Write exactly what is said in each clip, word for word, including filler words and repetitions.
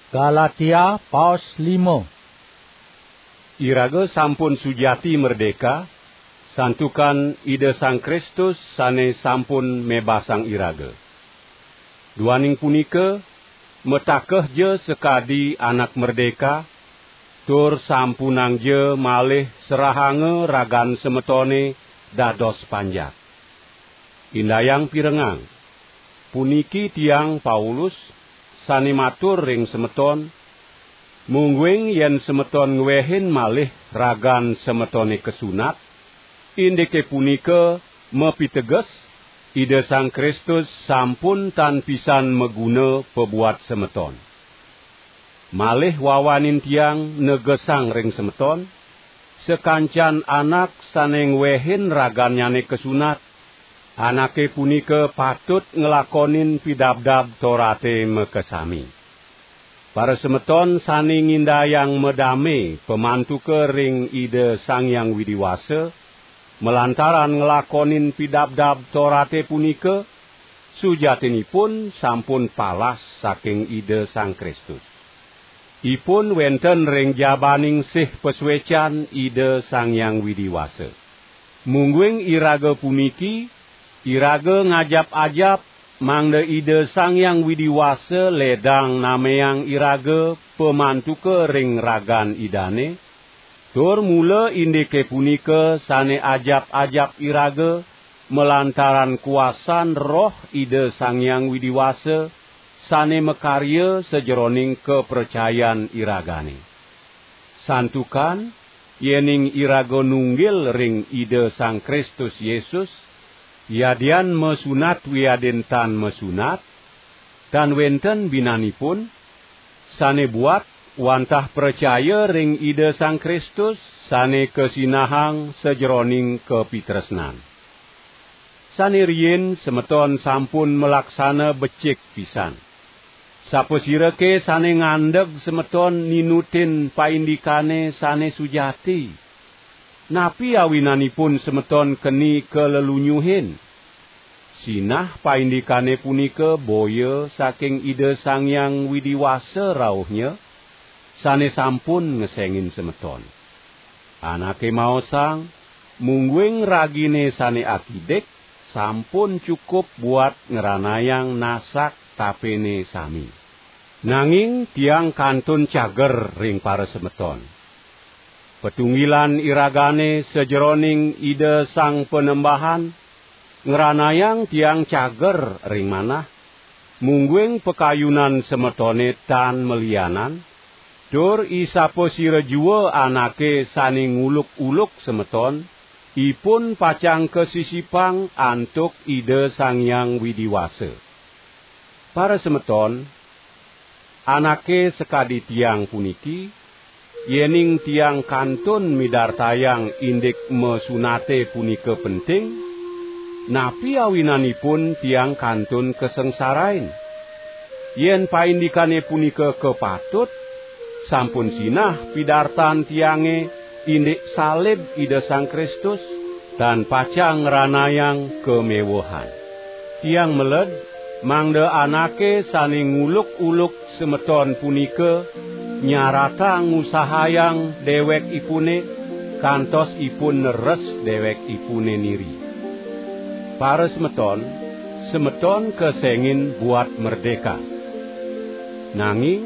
Galatia paos lima. Iraga sampun sujati merdeka, santukan Ida Sang Kristus sane sampun mebasang iraga. Duaning punika, matakehja sakadi anak merdeka, tur sampunangja malih serahanga ragan semetone dados panjak. Indayang pirengang. Puniki tiang Paulus sane matur ring semeton, mungguing yen semeton ngwehin malih ragan semetone kasunat, indike punika mapiteges Ida Sang Kristus sampun tan pisan maguna pabuat semeton. Malih wawanin tiang negesang ring semeton, sakancan anak sane ngwehin ragannyane kasunat, anake punika patut nglakonin Pidabdab Torate makasami. Parasemeton sane ngindayang madame pamantuka ring Ida Sang Hyang Widi Wasa, malantaran nglakonin Pidabdab Torate punika, sujatinipun sampun palas saking Ida Sang Kristus. Ipun wenten ring jabaning sih pasuecan Ida Sang Hyang Widi Wasa. Mungguing iraga puniki, iraga ngajap-ajap, mangda Ida Sang Hyang Widi Wasa ledang nameang iraga pamantuka ring ragan Idane, tur mula indike punika sane ajap-ajap iraga, malantaran kuasan Roh Ida Sang Hyang Widi Wasa, sane makarya sajeroning kapracayan iragane. Santukan, yening iraga nunggil ring Ida Sang Kristus Yesus, yadian masunat wiadin tan masunat, tan wenten binanipun, sane buat wantah pracaya ring Ida Sang Kristus, sane kasinahang sajeroning kapitresnan. Sane riin semeton sampun malaksana becik pisan. Sapasirake sane ngandeg semeton ninutin paindikane sane sujati? Napi awinanipun semeton keni kalelunyuhin? Sinah paindikane punika boya saking Ida Sang Hyang Widi Wasa rauhnya, sane sampun ngesengin semeton. Anake maosang, mungguing ragine sane akidik, sampun cukup buat ngranayang nasak tapene sami. Nanging tiang kantun cager ring parasemeton. Patunggilan iragane sajeroning Ida Sang Panembahan, ngranayang tiang cager ring manah, mungguing pakayunan semetone tan malianan, tur isapasira jua anake sane nguluk-uluk semeton, ipun pacang kasisipang antuk Ida Sang Hyang Widi Wasa. Parasemeton, anake sakadi tiang puniki, yening tiang kantun midartayang indik masunate punika penting, napi awinanipun tiang kantun kasangsarain? Yen paindikane punika kapatut, sampun sinah pidartan tiange indik salib Ida Sang Kristus, tan pacang ngranayang kamewehan. Tiang meled, mangda anake sane nguluk-uluk semeton punika nyaratang ngusahayang dewekipune, kantos ipun neres dewekipune niri. Parasemeton, semeton kesengin buat merdeka. Nanging,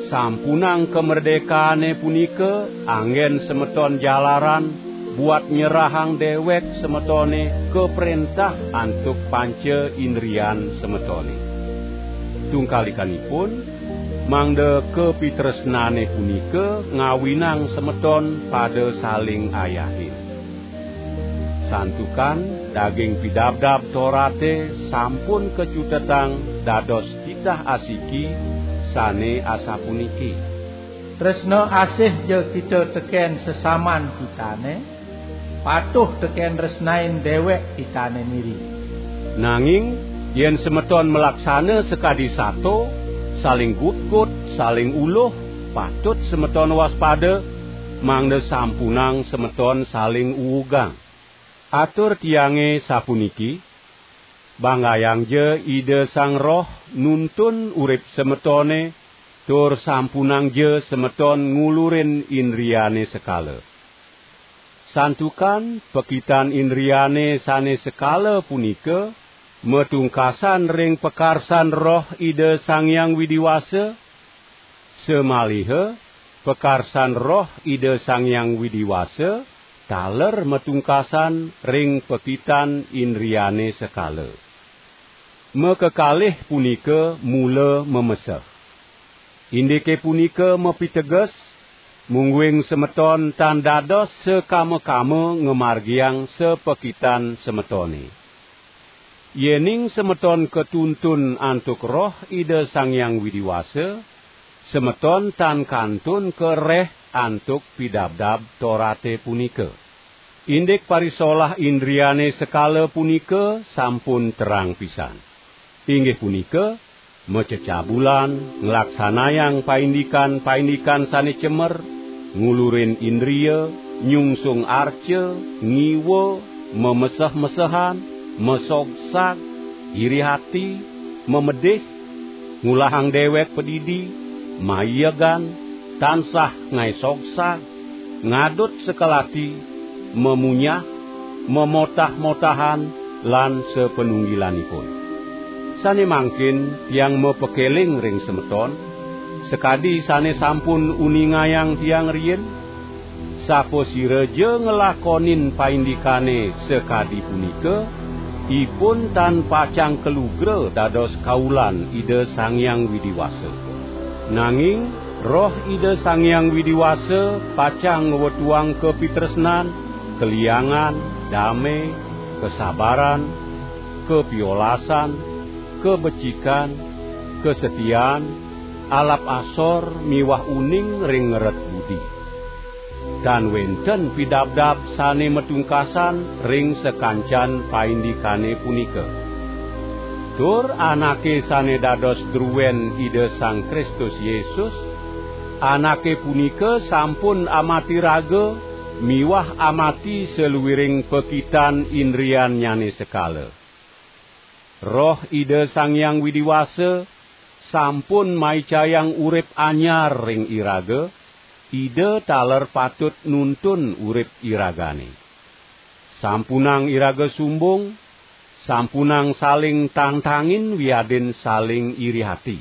sampunang kamerdekaane punika anggen semeton jalaran buat nyerahang dewek semetone kaprentah antuk panca indrian semetone. Tungkalikanipun, mangda kapitresnane punika ngawinang semeton pada saling ayahin. Santukan daging Pidabdab Torate sampun kacutetang dados titah asiki sane asapuniki: Tresna asih ja kita teken sesaman kitane, patuh teken tresnain dewek kitane niri. Nanging, yen semeton malaksana sakadi sato, saling gutgut, saling uluh, patut semeton waspada, mangda sampunang semeton saling uugang. Atur tiange sapuniki: Banggayangja Ida Sang Roh nuntun urip semetone, tur sampunangja semeton ngulurin indriane sekala. Santukan pekitan indriane sane sekala punika matungkasan ring pakarsan Roh Ida Sang Hyang Widi Wasa, samaliha pakarsan Roh Ida Sang Hyang Widi Wasa taler matungkasan ring pekitan indriane sekala. Makakalih punika mula mameseh. Indike punika mapiteges, mungguing semeton tan dados sakama-kama ngamargiang sapakitan semetone. Yening semeton katuntun antuk Roh Ida Sang Hyang Widi Wasa, semeton tan kantun kareh antuk pidabdab Torate punika. Indik parisolah indriane sekala punika sampun terang pisan. Inggih punika, macecabulan, nglaksanayang paindikan-paindikan sane cemer, ngulurin indria, nyungsung arca, ngiwa, mameseh-mesehan, masogsag, iri ati, mamedih, ngulahang dewek padidi, maiegan, tansah ngae sogsag, ngadut sekelati, mamunyah, mamotah-motahan, lan sapanunggilanipun. Sane mangkin tiang mapakeling ring semeton, sakadi sane sampun uningayang tiang riin, sapasiraja nglakonin paindikane sakadi punika, ipun tan pacang kalugra dados kaulan Ida Sang Hyang Widi Wasa. Nanging Roh Ida Sang Hyang Widi Wasa pacang ngwetuang kapitresnan, kaliangan, dame, kasabaran, kapiolasan, kabecikan, kasetian, alap asor miwah uning ring ngeret budi. Tan wenten pidabdab sane matungkasan ring sakancan paindikane punika. Tur anake sane dados druen Ida Sang Kristus Yesus, anake punika sampun amati raga miwah amati saluiring pakitan indriannyane sekala. Roh Ida Sang Hyang Widi Wasa sampun maicayang urip anyar ring iraga, Ida taler patut nuntun urip iragane. Sampunang iraga sumbung, sampunang saling tangtangin wiadin saling iri ati.